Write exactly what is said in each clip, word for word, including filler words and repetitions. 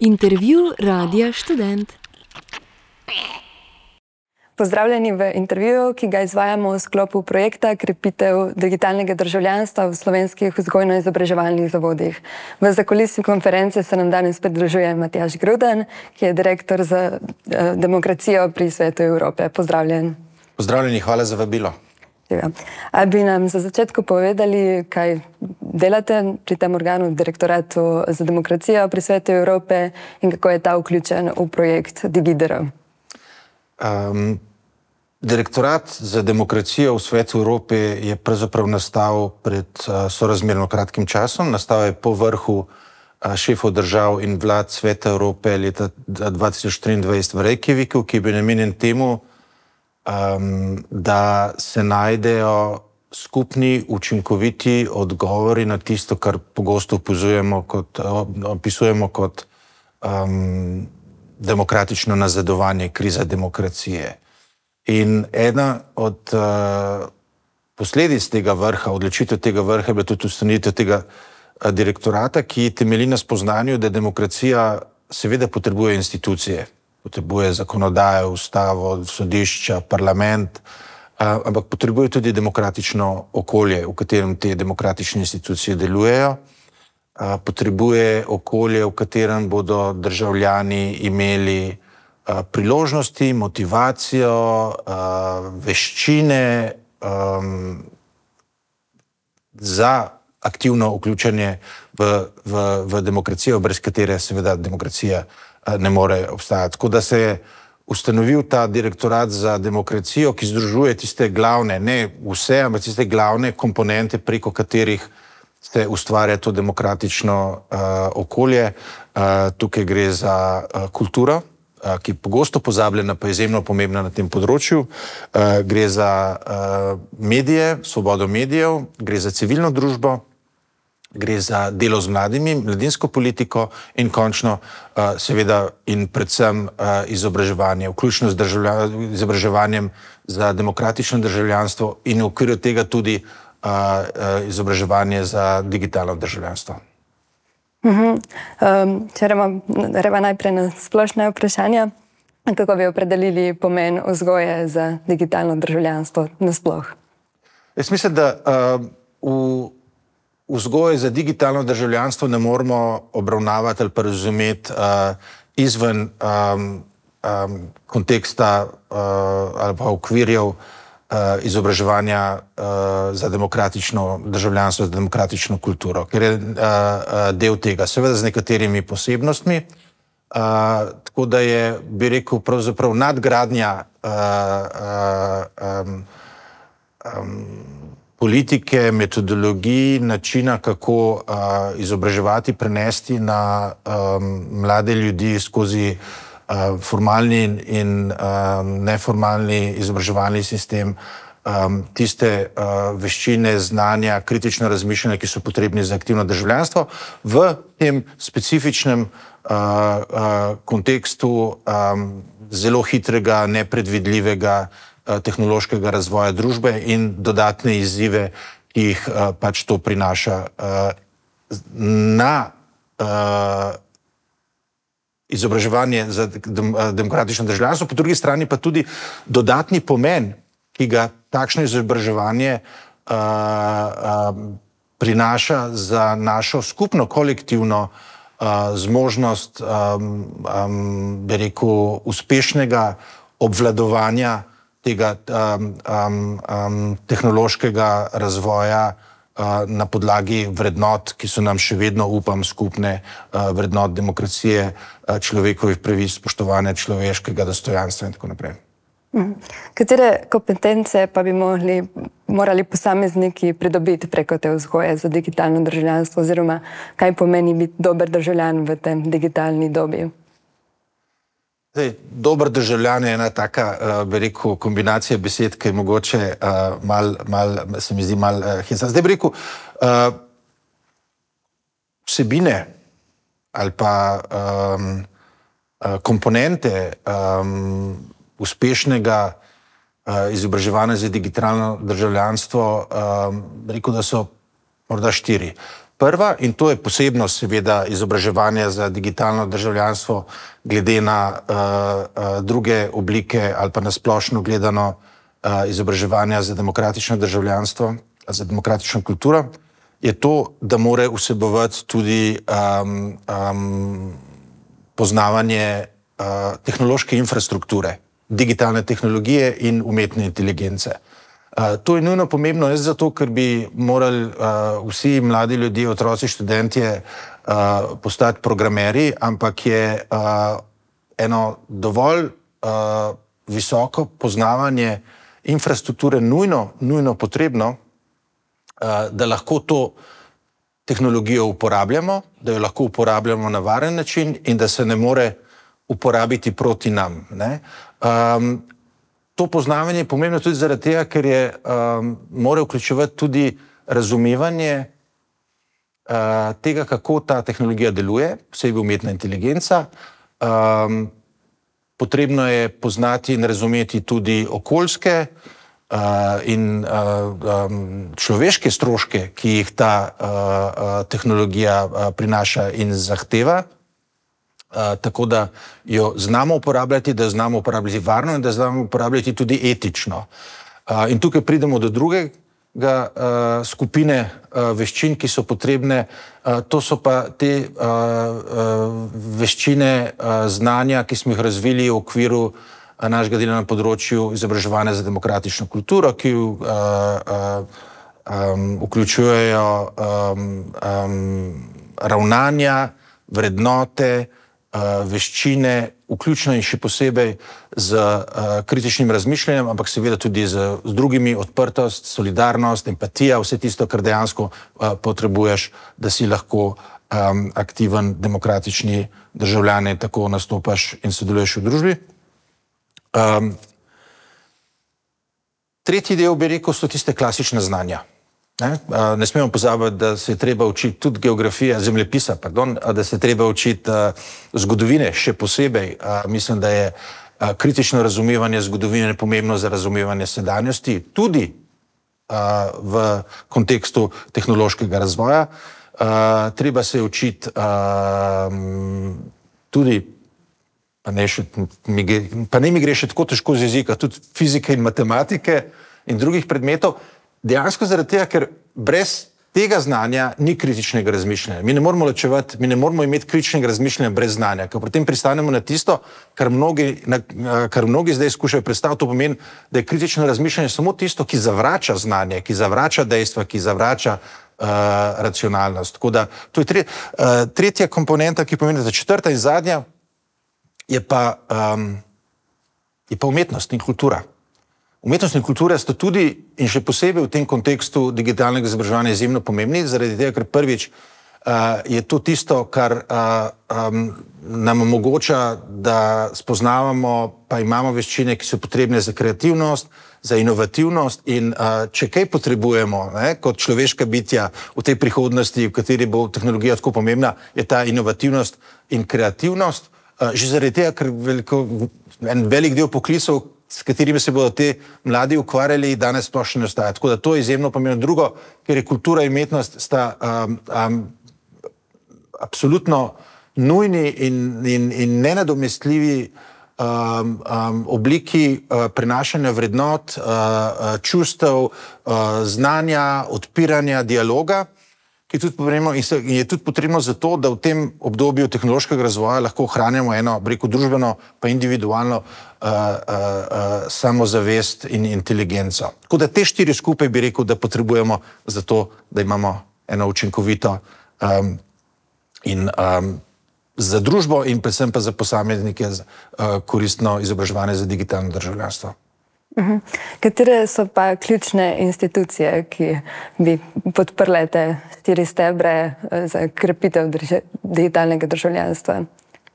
Intervju Radia Študent. Pozdravljeni v intervjuju, ki ga izvajamo v sklopu projekta Krepitev digitalnega državljanstva v slovenskih vzgojno-izobraževalnih zavodih. V zakulisju konference se nam danes pridružuje Matjaž Gruden, ki je direktor za demokracijo pri Svetu Evrope. Pozdravljen. Pozdravljeni, hvala za vabilo. A bi nam za začetku povedali, kaj delate pri tem organu, Direktoratu za demokracijo pri Svetu Evrope, in kako je ta vključen v projekt DigiDR? Um, Direktorat za demokracijo v Svetu Evrope je pravzaprav nastal pred uh, sorazmerno kratkim časom. Nastal je po vrhu uh, šefov držav in vlad Sveta Evrope leta dva tisoč triindvajset v Reykjaviku, ki je bil namenjen temu, um, da se najdejo skupni, učinkoviti odgovori na tisto, kar pogosto opazujemo kot, opisujemo kot um, demokratično nazadovanje, kriza demokracije. In ena od uh, posledic tega vrha, odločitev tega vrha je bila tudi ustanovitev tega uh, direktorata, ki temelji na spoznanju, da demokracija seveda potrebuje institucije, potrebuje zakonodajo, ustavo, sodišča, parlament, uh, ampak potrebuje tudi demokratično okolje, v katerem te demokratične institucije delujejo. Uh, potrebuje okolje, v katerem bodo državljani imeli uh, priložnosti, motivacijo, uh, veščine um, za aktivno vključenje v, v, v demokracijo, brez katere seveda demokracija uh, ne more obstajati. Tako da se je ustanovil ta direktorat za demokracijo, ki združuje tiste glavne, ne vse, ampak tiste glavne komponente, preko katerih se ustvarja to demokratično uh, okolje. Uh, tukaj gre za uh, kulturo, uh, ki je pogosto pozabljena, pa je izjemno pomembna na tem področju. Uh, gre za uh, medije, svobodo medijev, gre za civilno družbo, gre za delo z mladimi, mladinsko politiko in končno uh, seveda in predvsem uh, izobraževanje, vključno z izobraževanjem za demokratično državljanstvo in v okviru tega tudi Uh, uh, izobraževanje za digitalno državljanstvo. Uh-huh. Um, če reva najprej na splošne vprašanja, kako bi opredelili pomen vzgoje za digitalno državljanstvo nasploh? Jaz mislim, da uh, v vzgoje za digitalno državljanstvo ne moramo obravnavati ali pa razumeti uh, izven um, um, konteksta uh, ali pa okvirjev Uh, izobraževanja uh, za demokratično državljanstvo, za demokratično kulturo, ker je uh, uh, del tega, seveda z nekaterimi posebnostmi, uh, tako da je, bi rekel, pravzaprav nadgradnja uh, uh, um, um, politike, metodologij, načina, kako uh, izobraževati, prenesti na um, mlade ljudi skozi Uh, formalni in, in um, neformalni izobraževalni sistem, um, tiste uh, veščine, znanja, kritično razmišljanje, ki so potrebni za aktivno državljanstvo, v tem specifičnem uh, uh, kontekstu um, zelo hitrega, nepredvidljivega uh, tehnološkega razvoja družbe in dodatne izzive, ki jih uh, pač to prinaša uh, na uh, izobraževanje za demokratično državljanstvo, po drugi strani pa tudi dodatni pomen, ki ga takšno izobraževanje uh, uh, prinaša za našo skupno kolektivno uh, zmožnost, um, um, bi rekel, uspešnega obvladovanja tega um, um, um, tehnološkega razvoja na podlagi vrednot, ki so nam še vedno, upam, skupne, vrednot demokracije, človekovih pravic, spoštovanja človeškega dostojanstva in tako naprej. Katere kompetence pa bi morali, morali posamezniki pridobiti preko te vzgoje za digitalno državljanstvo, oziroma kaj pomeni biti dober državljan v tem digitalni dobi? Zdaj, dober državljan je ena taka, uh, bi rekel, kombinacija besed, ki je mogoče uh, mal, mal, se mi zdi mal uh, hecna. Zdaj bi rekel, uh, vsebine ali pa um, uh, komponente um, uspešnega uh, izobraževanja za digitalno državljanstvo, um, bi rekel, da so morda štiri. prva, in to je posebnost seveda izobraževanja za digitalno državljanstvo glede na uh, uh, druge oblike ali pa na splošno gledano uh, izobraževanja za demokratično državljanstvo, za demokratično kulturo, je to, da mora vsebovati tudi um, um, poznavanje uh, tehnološke infrastrukture, digitalne tehnologije in umetne inteligence. Uh, to je nujno pomembno, ne zato, ker bi morali uh, vsi mladi ljudje, otroci, študentje uh, postati programerji, ampak je uh, eno dovolj uh, visoko poznavanje infrastrukture nujno, nujno potrebno, uh, da lahko to tehnologijo uporabljamo, da jo lahko uporabljamo na varen način in da se ne more uporabiti proti nam. Ne? Um, to poznavanje je pomembno tudi zaradi tega, ker je um, mora vključevati tudi razumevanje uh, tega, kako ta tehnologija deluje, posebej umetna inteligenca. Um, potrebno je poznati in razumeti tudi okoljske uh, in uh, um, človeške stroške, ki jih ta uh, uh, tehnologija uh, prinaša in zahteva. Uh, tako da jo znamo uporabljati, da jo znamo uporabljati varno in da jo znamo uporabljati tudi etično. Uh, in tukaj pridemo do drugega uh, skupine uh, veščin, ki so potrebne. Uh, to so pa te uh, uh, veščine uh, znanja, ki smo jih razvili v okviru uh, našega dela na področju izobraževanja za demokratično kulturo, ki uh, uh, um, vključujejo um, um, ravnanja, vrednote, veščine, vključno in še posebej z uh, kritičnim razmišljanjem, ampak seveda tudi z, z drugimi, odprtost, solidarnost, empatija, vse tisto, kar dejansko uh, potrebuješ, da si lahko um, aktiven, demokratični državljan in tako nastopaš in sodeluješ v družbi. Um, tretji del, bi rekel, so tiste klasične znanja. Ne? ne smemo pozabiti, da se je treba učiti tudi geografija, zemljepisa, pardon, da se je treba učiti uh, zgodovine, še posebej. Uh, mislim, da je uh, kritično razumevanje zgodovine pomembno za razumevanje sedanjosti, tudi uh, v kontekstu tehnološkega razvoja. Uh, treba se učiti uh, tudi, pa ne, še, mi, pa ne mi gre še tako težko z jezika, tudi fizike in matematike in drugih predmetov. Dejansko zaradi tega, ker brez tega znanja ni kritičnega razmišljanja. Mi ne moramo ločevati, mi ne moramo imeti kritičnega razmišljanja brez znanja, ker potem pristanemo na tisto, kar mnogi, na, kar mnogi zdaj skušajo predstaviti. To pomeni, da je kritično razmišljanje samo tisto, ki zavrača znanje, ki zavrača dejstva, ki zavrača uh, racionalnost. Tako da, to je tre, uh, tretja komponenta, ki pomeni, da četrta in zadnja je pa, um, je pa umetnost in kultura. Umetnost in kultura sta tudi in še posebej v tem kontekstu digitalnega izobraževanja izjemno pomembni, zaradi tega, ker prvič uh, je to tisto, kar uh, um, nam omogoča, da spoznavamo, pa imamo veščine, ki so potrebne za kreativnost, za inovativnost in uh, če kaj potrebujemo, ne, kot človeška bitja v tej prihodnosti, v kateri bo tehnologija tako pomembna, je ta inovativnost in kreativnost. Uh, že zaradi tega, ker veliko, en velik del poklicov, s katerimi se bodo te mladi ukvarjali, danes sploh še ne ostaja. Tako da to je izjemno pomembno. Drugo, ker je kultura in umetnost sta um, um, absolutno nujni in, in, in nenadomestljivi um, um, obliki uh, prenašanja vrednot, uh, uh, čustev, uh, znanja, odpiranja, dialoga, ki je tudi potrebno, in se, in je tudi potrebno zato, da v tem obdobju tehnološkega razvoja lahko ohranjamo eno, rekel, družbeno pa individualno uh, uh, uh, samozavest in inteligenco. Tako da te štiri skupaj bi rekel, da potrebujemo za to, da imamo eno učinkovito um, in um, za družbo in predvsem pa za posameznike uh, koristno izobraževanje za digitalno državljanstvo. Uhum. Katere so pa ključne institucije, ki bi podprle te štiri stebre za krepitev drž digitalnega državljanstva?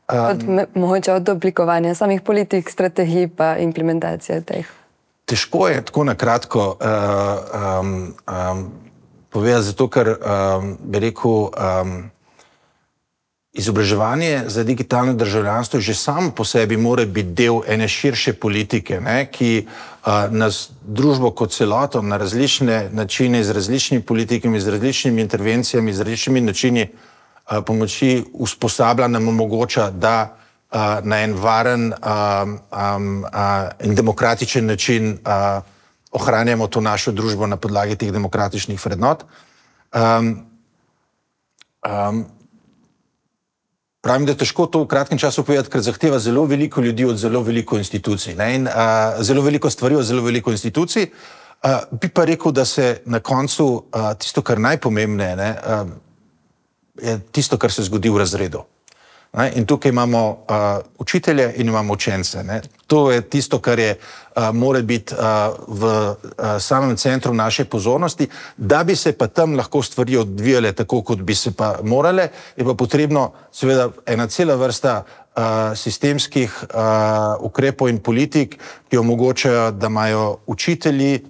Od, um, mogoče od oblikovanja samih politik, strategij pa implementacije teh. Težko je tako na kratko uh, um, um, povedati, zato ker um, bi rekel, um, izobraževanje za digitalno državljanstvo že samo po sebi mora biti del ene širše politike, ne, ki uh, nas družbo kot celoto na različne načine, z različnimi politikami, z različnimi intervencijami, z različnimi načini uh, pomoči usposablja, nam omogoča, da uh, na en varen um, um, uh, in demokratičen način uh, ohranjamo to našo družbo na podlagi teh demokratičnih vrednot. Um, um, Pravim, da je težko to v kratkem času povedati, ker zahteva zelo veliko ljudi od zelo veliko institucij, ne, in uh, zelo veliko stvari od zelo veliko institucij. Uh, bi pa rekel, da se na koncu uh, tisto, kar najpomembneje, ne, uh, je tisto, kar se zgodi v razredu. Ne, in tukaj imamo uh, učitelje in imamo učence. Ne. To je tisto, kar je, uh, mora biti uh, v uh, samem centru naše pozornosti. Da bi se pa tam lahko stvari odvijale tako, kot bi se pa morale, je pa potrebno seveda ena cela vrsta uh, sistemskih uh, ukrepov in politik, ki omogočajo, da imajo učitelji,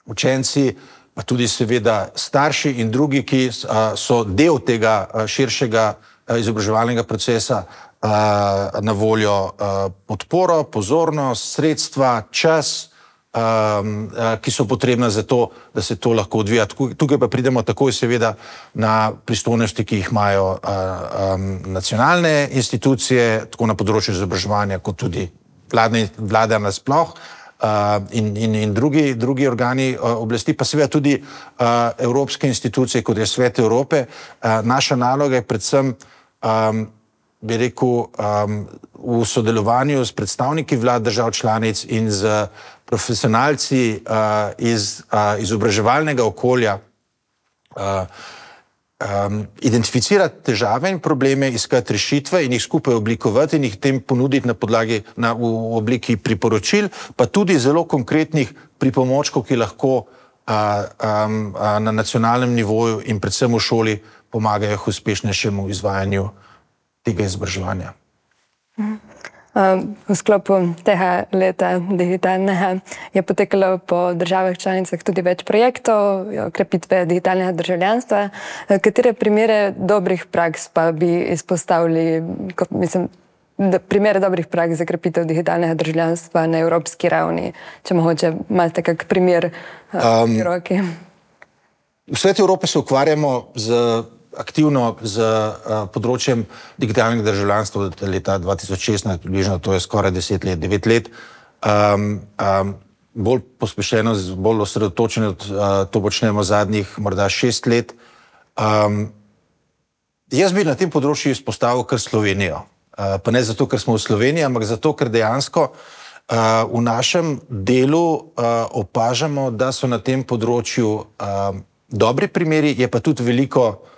učenci, pa tudi seveda starši in drugi, ki uh, so del tega uh, širšega izobraževalnega procesa uh, na voljo uh, podporo, pozornost, sredstva, čas, um, uh, ki so potrebna za to, da se to lahko odvija. Tukaj pa pridemo takoj seveda na pristojnosti, ki jih imajo uh, um, nacionalne institucije, tako na področju izobraževanja, kot tudi vladne, vlada nasploh. Uh, in, in, in drugi, drugi organi uh, oblasti, pa seveda tudi uh, evropske institucije, kot je Svet Evrope. Uh, naša naloga je predvsem, um, bi rekel, um, v sodelovanju s predstavniki vlad držav članic in z profesionalci uh, iz uh, izobraževalnega okolja uh, um, identificirati težave in probleme, iskati rešitve in jih skupaj oblikovati in jih tem ponuditi na podlagi, na, v, v obliki priporočil, pa tudi zelo konkretnih pripomočkov, ki lahko uh, um, uh, na nacionalnem nivoju in predvsem v šoli pomagajo k uspešnejšemu izvajanju tega izobraževanja. V sklopu tega leta digitalnega je potekalo po državah članicah tudi več projektov krepitve digitalnega državljanstva. Katere primere dobrih praks pa bi izpostavili, mislim, primere dobrih praks za krepitev digitalnega državljanstva na evropski ravni, če mogoče imate kak primer um, v roki? V Svetu Evrope se ukvarjamo z aktivno z uh, področjem digitalnega državljanstva od leta dva tisoč šestnajst, približno to je skoraj deset let, devet let. Um, um, bolj pospešeno, bolj osredotočeno, uh, to počnemo zadnjih morda šest let. Um, jaz bi na tem področju izpostavil kar Slovenijo. Uh, pa ne zato, ker smo v Sloveniji, ampak zato, ker dejansko uh, v našem delu uh, opažamo, da so na tem področju uh, dobri primeri, je pa tudi veliko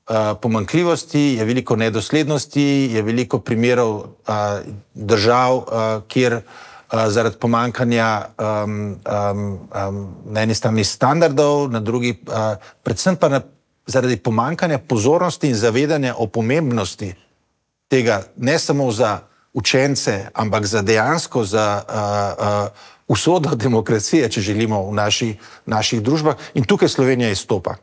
Uh, pomanjkljivosti, je veliko nedoslednosti, je veliko primerov uh, držav, uh, kjer uh, zaradi pomanjkanja um, um, um, na eni strani standardov, na drugi, uh, predvsem pa na, zaradi pomanjkanja pozornosti in zavedanja o pomembnosti tega, ne samo za učence, ampak za dejansko za uh, uh, usodo demokracije, če želimo v naši, naših družbah. In tukaj Slovenija izstopa.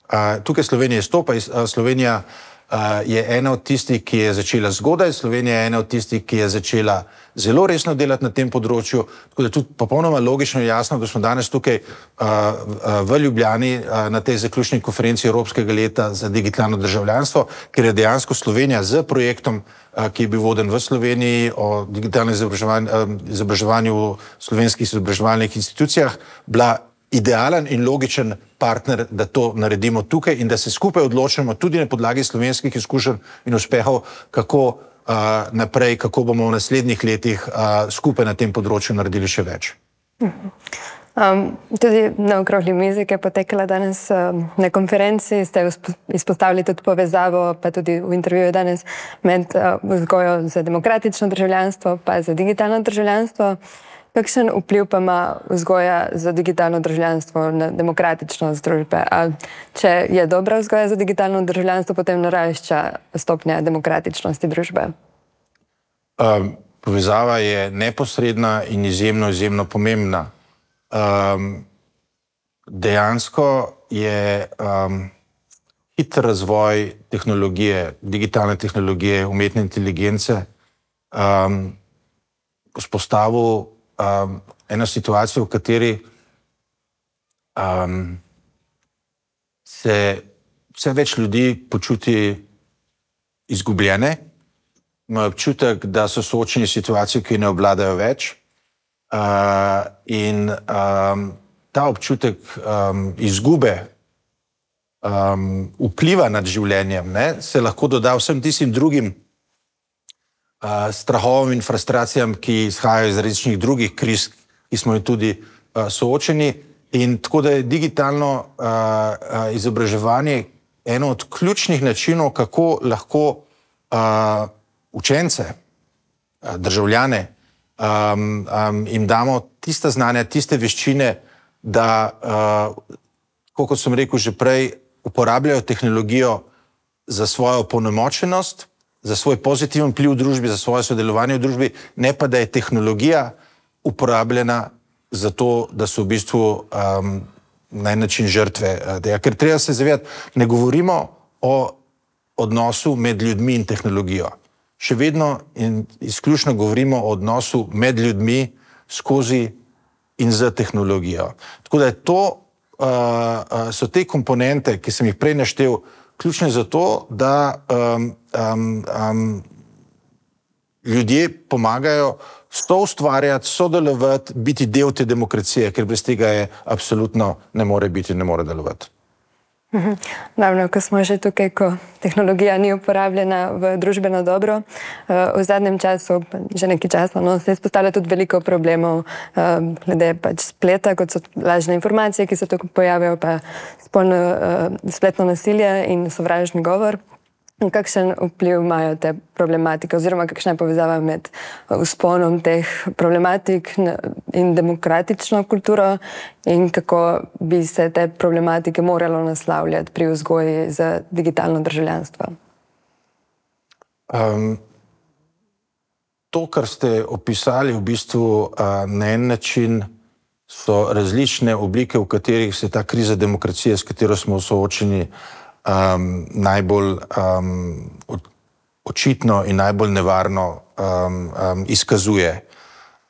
Uh, tukaj Slovenija izstopa. Uh, Slovenija uh, je ena od tistih, ki je začela zgodaj, Slovenija je ena od tistih, ki je začela zelo resno delati na tem področju, tako da tudi popolnoma logično in jasno, da smo danes tukaj uh, uh, v Ljubljani uh, na tej zaključni konferenci Evropskega leta za digitalno državljanstvo, ker je dejansko Slovenija z projektom, uh, ki je bil voden v Sloveniji o digitalnem izobraževanju, uh, izobraževanju v slovenskih izobraževalnih institucijah, bila idealen in logičen partner, da to naredimo tukaj in da se skupaj odločimo tudi na podlagi slovenskih izkušenj in uspehov, kako uh, naprej, kako bomo v naslednjih letih uh, skupaj na tem področju naredili še več. Um, tudi na okrogli mizi, ki je potekala danes um, na konferenci, ste izpostavili tudi povezavo, pa tudi v intervjuju danes, med uh, vzgojo za demokratično državljanstvo pa za digitalno državljanstvo. Kakšen vpliv pa ima vzgoja za digitalno državljanstvo na demokratičnost družbe? A če je dobra vzgoja za digitalno državljanstvo, potem narašča stopnja demokratičnosti družbe? Um, povezava je neposredna in izjemno, izjemno pomembna. Um, dejansko je, um, hiter razvoj tehnologije, digitalne tehnologije, umetne inteligence um, vzpostavil um, eno situacijo, v kateri um, se vse več ljudi počuti izgubljene, imajo občutek, da so soočeni s situacijo, ki ne obvladajo več. Uh, in um, ta občutek um, izgube um, vpliva nad življenjem, ne, se lahko doda vsem tistim drugim uh, strahovom in frustracijam, ki izhajajo iz različnih drugih kriz, ki smo jih tudi uh, soočeni. In tako da je digitalno uh, uh, izobraževanje eno od ključnih načinov, kako lahko uh, učence, uh, državljane, Um, um, jim damo tista znanja, tiste veščine, da, uh, kot sem rekel že prej, uporabljajo tehnologijo za svojo opolnomočenost, za svoj pozitiven vpliv v družbi, za svoje sodelovanje v družbi, ne pa da je tehnologija uporabljena za to, da so v bistvu um, na en način žrtve. Ja, ker treba se zavedati, ne govorimo o odnosu med ljudmi in tehnologijo. Še vedno in izključno govorimo o odnosu med ljudmi skozi in z tehnologijo. Tako da je to, uh, so te komponente, ki sem jih prej naštel, ključne za to, da um, um, um, ljudje pomagajo soustvarjati, sodelovati, biti del te demokracije, ker brez tega je absolutno ne more biti, ne more delovati. Naravno, ko smo že tukaj, ko tehnologija ni uporabljena v družbeno dobro, v zadnjem času, že nekaj časa, no, se izpostavlja tudi veliko problemov glede pač spleta, kot so lažne informacije, ki se tukaj pojavijo, pa spolno, spletno nasilje in sovražni govor. Kakšen vpliv imajo te problematike oziroma kakšna je povezava med vzponom teh problematik in demokratično kulturo in kako bi se te problematike moralo naslavljati pri vzgoji za digitalno državljanstvo? Um, to, kar ste opisali, v bistvu uh, na en način so različne oblike, v katerih se ta kriza demokracije, s katero smo soočeni, Um, najbolj um, očitno in najbolj nevarno um, um, izkazuje.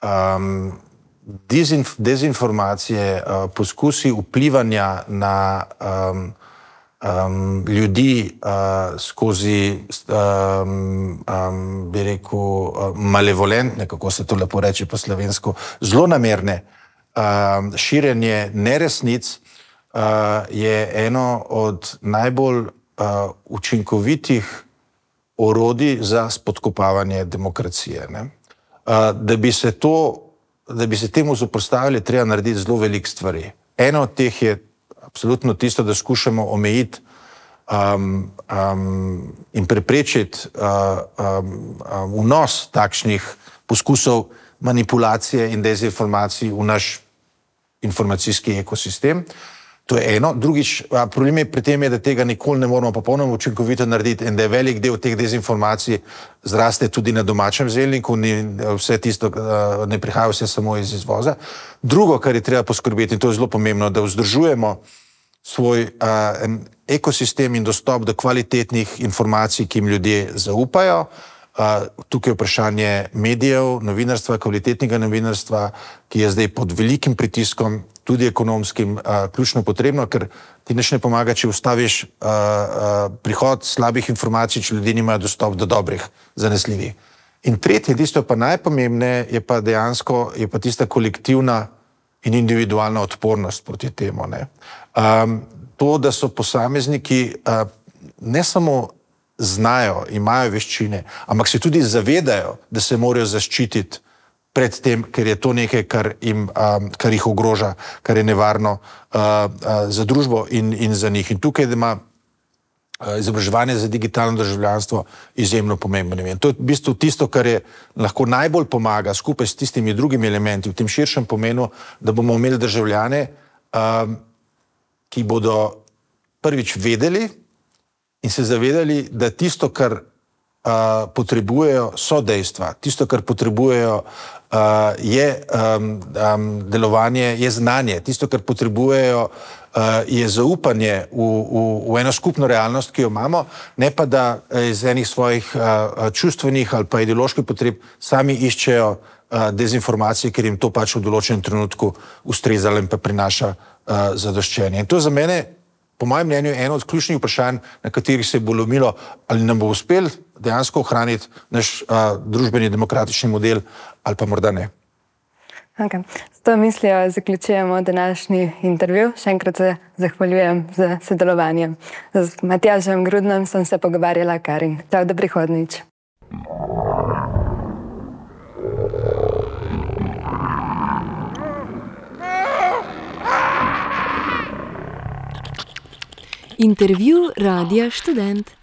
Um, dezinf, dezinformacije, uh, poskusi vplivanja na um, um, ljudi uh, skozi, um, um, bi rekel, uh, malevolentne, kako se to lepo reče po slovensko, zlonamerne um, širjenje neresnic, Uh, je eno od najbolj uh, učinkovitih orodij za spodkopavanje demokracije. Ne? Uh, da bi se to, da bi se temu zoperstavili, treba narediti zelo veliko stvari. Eno od teh je absolutno tisto, da skušamo omejiti um, um, in preprečiti uh, um, um, vnos takšnih poskusov manipulacije in dezinformacij v naš informacijski ekosistem. To je eno. Drugič, problem je pri tem, je, da tega nikoli ne moramo popolnoma učinkovito narediti in da je velik del teh dezinformacij zraste tudi na domačem zelniku, ni vse tisto, ne prihaja vse samo iz izvoza. Drugo, kar je treba poskrbeti, in to je zelo pomembno, da vzdržujemo svoj uh, ekosistem in dostop do kvalitetnih informacij, ki jim ljudje zaupajo. Uh, tukaj je vprašanje medijev, novinarstva, kvalitetnega novinarstva, ki je zdaj pod velikim pritiskom, tudi ekonomskim, uh, ključno potrebno, ker ti nič ne pomaga, če ustaviš uh, uh, prihod slabih informacij, če ljudje nimajo dostop do dobrih, zanesljivih. In tretje, tisto pa najpomembneje, je pa dejansko je pa tista kolektivna in individualna odpornost proti temu. Ne? Um, to, da so posamezniki uh, ne samo znajo, imajo veščine, ampak se tudi zavedajo, da se morajo zaščititi pred tem, ker je to nekaj, kar, jim, um, kar jih ogroža, kar je nevarno uh, uh, za družbo in, in za njih. In tukaj ima uh, izobraževanje za digitalno državljanstvo izjemno pomembno. In to je v bistvu tisto, kar je lahko najbolj pomaga skupaj s tistimi drugimi elementi v tem širšem pomenu, da bomo imeli državljane, um, ki bodo prvič vedeli in se zavedali, da tisto, kar uh, potrebujejo, so dejstva. Tisto, kar potrebujejo, uh, je um, um, delovanje, je znanje. Tisto, kar potrebujejo, uh, je zaupanje v, v, v eno skupno realnost, ki jo imamo, ne pa da iz enih svojih uh, čustvenih ali pa ideoloških potreb sami iščejo uh, dezinformacije, ker jim to pač v določenem trenutku ustrezalo in pa prinaša uh, zadoščenje. In to za mene, po mojem mnenju, je eno od ključnih vprašanj, na katerih se bo lomilo, ali nam bo uspel dejansko ohraniti naš uh, družbeni demokratični model ali pa morda ne. Okay. S to mislijo zaključujemo današnji intervju. Še enkrat se zahvaljujem za sodelovanje. Z Matjažem Grudnom sem se pogovarjala Karin. Čau, do prihodnjič. Intervju Radia Študent.